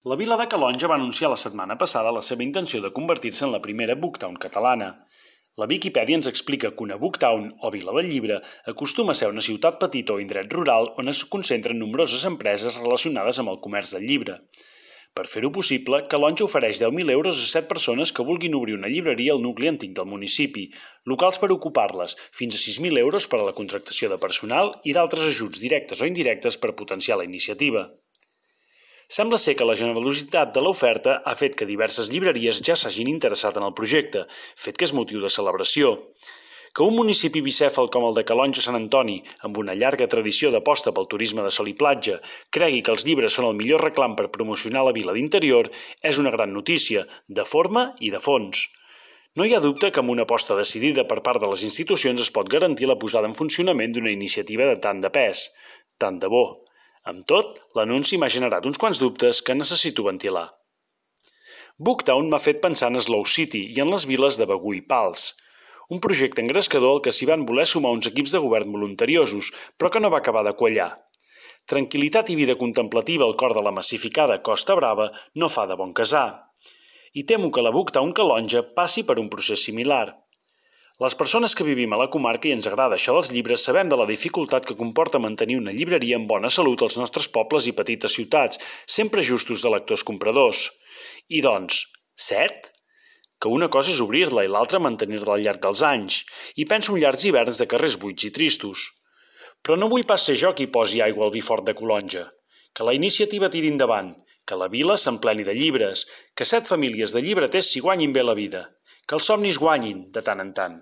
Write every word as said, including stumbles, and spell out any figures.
La vila de Calonge va anunciar la setmana passada la seva intenció de convertir-se en la primera Booktown catalana. La Viquipèdia ens explica que una Booktown, o vila del llibre, acostuma a ser una ciutat petita o indret rural on es concentren nombroses empreses relacionades amb el comerç del llibre. Per fer-ho possible, Calonge ofereix deu mil euros a set persones que vulguin obrir una llibreria al nucli antic del municipi, locals per ocupar-les, fins a sis mil euros per a la contractació de personal i d'altres ajuts directes o indirectes per potenciar la iniciativa. Sembla ser que la generositat de l'oferta ha fet que diverses llibreries ja s'hagin interessat en el projecte, fet que és motiu de celebració. Que un municipi bicèfal com el de Calonge Sant Antoni, amb una llarga tradició d'aposta pel turisme de sol i platja, cregui que els llibres són el millor reclam per promocionar la vila d'interior és una gran notícia, de forma i de fons. No hi ha dubte que amb una aposta decidida per part de les institucions es pot garantir la posada en funcionament d'una iniciativa de tant de pes, tant de bo. Amb tot, l'anunci m'ha generat uns quants dubtes que necessito ventilar. Booktown m'ha fet pensar en Slow City i en les viles de Begur i Pals, un projecte engrescador al que s'hi van voler sumar uns equips de govern voluntariosos, però que no va acabar de quallar. Tranquil·litat i vida contemplativa al cor de la massificada Costa Brava no fa de bon casar. I temo que la Booktown Calonge passi per un procés similar. Les persones que vivim a la comarca i ens agrada això dels llibres sabem de la dificultat que comporta mantenir una llibreria en bona salut als nostres pobles i petites ciutats, sempre justos de lectors compradors. I doncs, set? Que una cosa és obrir-la i l'altra mantenir-la al llarg dels anys, i penso en llargs hiverns de carrers buits i tristos. Però no vull pas ser jo qui posi aigua al vi fort de Calonge. Que la iniciativa tiri endavant, que la vila s'empleni de llibres, que set famílies de llibreters s'hi guanyin bé la vida, que els somnis guanyin de tant en tant.